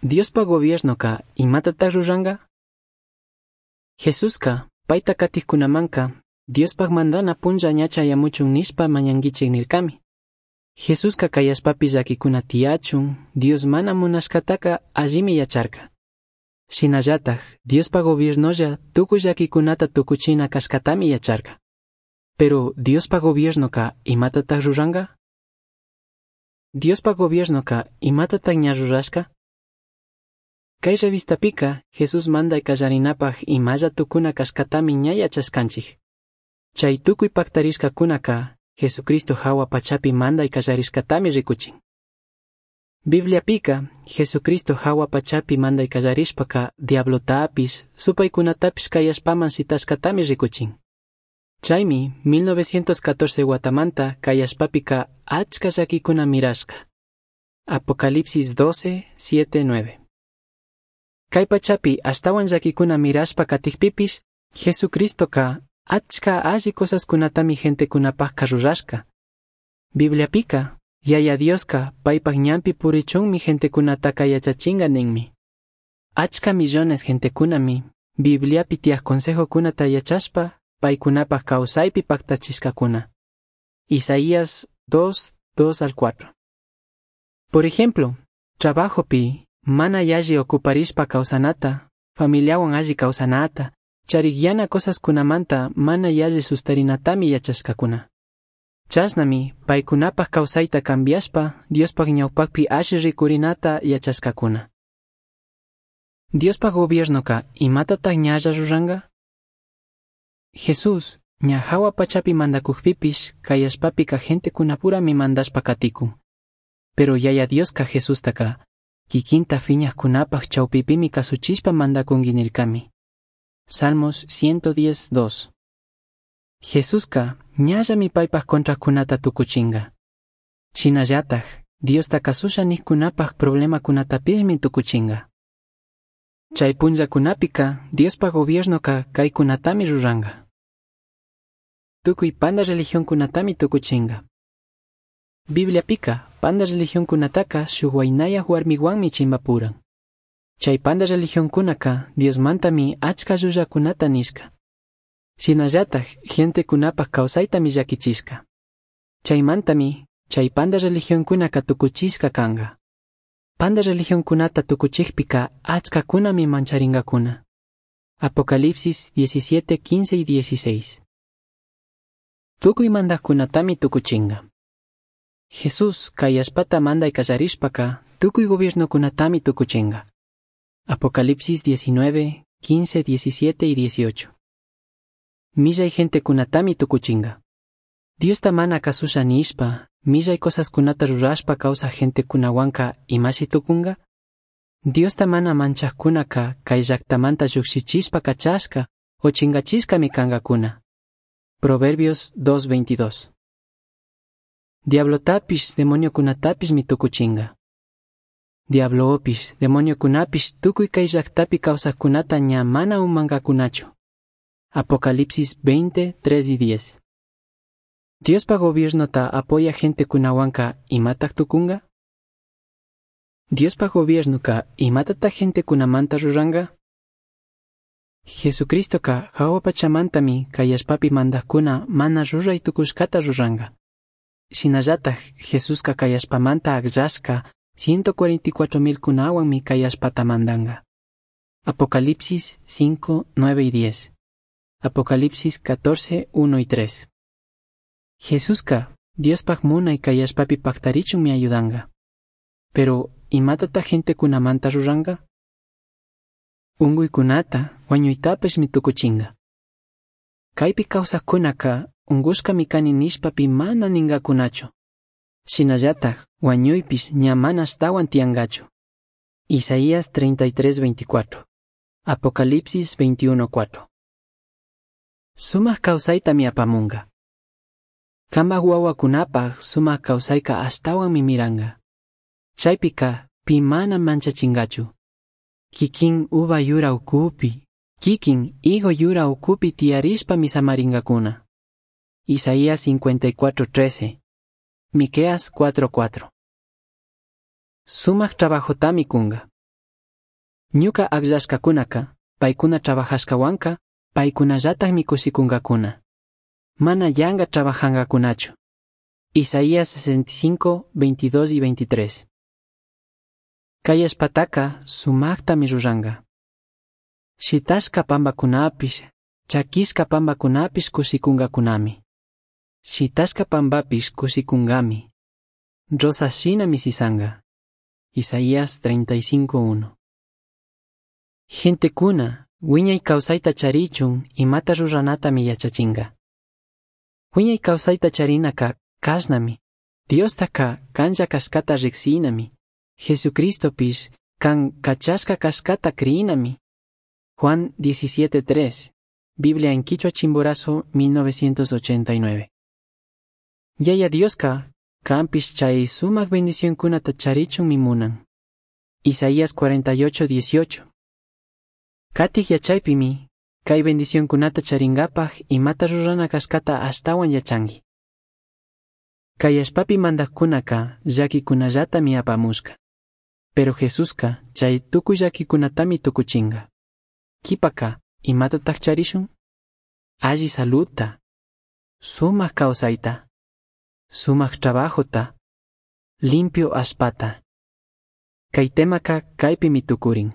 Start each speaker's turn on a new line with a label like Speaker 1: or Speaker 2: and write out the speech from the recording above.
Speaker 1: Diospaj gobiernoca imatataj ruranga? Jesusca paita catijcunamanca Diospaj mandana punlla ña chayamuchun nishpa mañanguichij nircami. Jesusca cai allpapi llaquicuna tiyachun Dios mana munashcataca allimi yacharca. Shinallataj Diospaj gobiernolla tucui llaquicunata tucuchina cashcatami yacharca. Pero Diospaj gobiernoca imatataj ruranga? Diospaj gobiernoca imatataj ña rurashca? Cai revistapica Jesús mandai callarinapaj imalla tucuna cashcatami ña yachashcanchij. Chai tucui pactarishcacunaca Jesucristo jahua pachapi mandai callarishcatami ricuchin. Bibliapica Jesucristo jahua pachapi mandai callarishpaca diablotapish, supaicunatapish cai allpaman shitashcatami ricuchin. Chaimi 1914 huatamanta cai allpapica achca llaquicuna mirashca. Apocalipsis 12, 7, 9. Cai pachapi ashtahuan llaquicuna mirashpa catijpipish, Jesucristoca achca alli cosascunatami gentecunapajca rurashca. Bibliapica, Yaya Diosca paipaj ñanpi purichunmi gentecunataca yachachinga ninmi. Achca millones gentecunami Bibliapi tiyaj consejocunata yachashpa paicunapaj causaipi pactachishcacuna. Isaías 2, 2 al 4. Por ejemplo, trabajopi mana yalli ocuparishpa causanata, familiahuan alli causanata, charigyana cosascunamanta mana yalli sustarinatami yachashcacuna. Chashnami paicunapaj causaita cambiashpa Diospaj ñaupajpi alli ricurinata yachashcacuna. Diospaj gobiernoca imatataj ñalla ruranga? Jesús ña jahua pachapi mandacujpipish cai allpapica gentecunapurami mandashpa caticun. Pero Yaya Diosca Jesustaca kikinta fiñajcunapaj chaupipimi casuchishpa mandacungui nircami. Salmos 110, 2. Jesusca ñallami paipaj contracunata tucuchinga. Shinallataj Diosta casusha nijcunapaj problemacunatapishmi tucuchinga. Chai punllacunapica Diospaj gobiernoca caicunatami ruranga. Tucui panda religioncunatami tucuchinga. Bibliapica panda religioncunataca shuj huainayaj huarmihuanmi chimbapuran. Chai panda religioncunaca Diosmantami achca llullacunata nishca. Shinallataj gentecunapaj causaitami llaquichishca. Chaimantami chai panda religioncunaca tucuchishca canga. Panda religioncunata tucuchijpica achcacunami mancharingacuna. Apocalipsis 17, 15 y 16. Tucui mandajcunatami tucuchinga. Jesús cai allpata mandai callarishpaca tucui gobiernocunatami tucuchinga. Apocalipsis 19, 15, 17 y 18. Millai gentecunatami tucuchinga. Diosta mana casusha nishpa, millai cosascunata rurashpa causaj gentecunahuanca imashi tucunga? Diosta mana manchajcunaca cai llactamanta llujshichishpa cachashca o chingachishcami cangacuna. Proverbios 2.22. Diablotapish demoniocunatapishmi tucuchinga. Diablopish, demoniocunapish tucui cai llactapi causajcunata ña mana umangacunachu. Apocalipsis 20, 3 y 10. Diospaj gobiernota apoya gentecunahuanca imataj tucunga? Diospaj gobiernoca imatataj gentecunamanta ruranga? Jesucristoca jahua pachamantami cai allpapi mandajcuna mana rurai tucushcata ruranga. Shinallataj Jesusca cai allpamanta agllashca 144 mil cunahuanmi cai allpata mandanga. Apocalipsis 5, 9 y 10. Apocalipsis 14, 1 y 3. Jesusca Diospaj munai cai allpapi pactarichunmi ayudanga. Pero imatataj gentecunamanta ruranga? Ungüicunata, huañuitapishmi tucuchinga. Caipi causajcunaca ungushcami cani nishpapi mana ningacunachu. Shinallataj huañuipish ña mana ashtahuan tiyangachu. Isaías 33, 24. Apocalipsis 21, 4. Sumaj causaitami apamunga. Cambaj huahuacunapaj sumaj causaica ashtahuanmi miranga. Chaipica pi mana manchachingachu. Kikin uva yura ucupi, kikin higo yura ucupi tiyarishpami samaringacuna. Isaías 54:13, Miqueas 4:4. Sumaj trabajotami cunga. Ñuca agllashcacunaca, paicuna trabajashcahuanca, paicunallatajmi cushicungacuna. Mana yanga trabajangacunachu. Isaías 65, 22 y 23. Cai allpataca sumajtami ruranga. Shitashca pambacunapish, chaquishca pambacunapish cushicungacunami. Shitashca pambapish cushicungami. Rosa shinami sisanga. Isaías 35.1. Gentecuna, huiñai causaita charichun imata ruranatami yachachinga. Huiñai causaita charinaka cashnami. Diostaca canlla cashcata ricsinami. Jesucristopish can cachashca cashcata criyinami. Juan 17.3. Biblia en Quichua Chimborazo 1989. Yaya Dioska canpish chay sumak bendicionkunata charichunmi munan. Isaías 48.18. Katik yachaypimi, kay bendicionkunata charingapaj imata rurana kashkata ashtawan yachanki. Kay allpapi mandajkunaka llaquikunallatami apamushka. Pero Jesuska chay tukuy llaquikunatami tukuchinga. Kipaka, imatataj charishun? Alli saludta, sumak kawsayta, sumak trabajota, limpio allpata. Kay temaka kaypimi tukurin.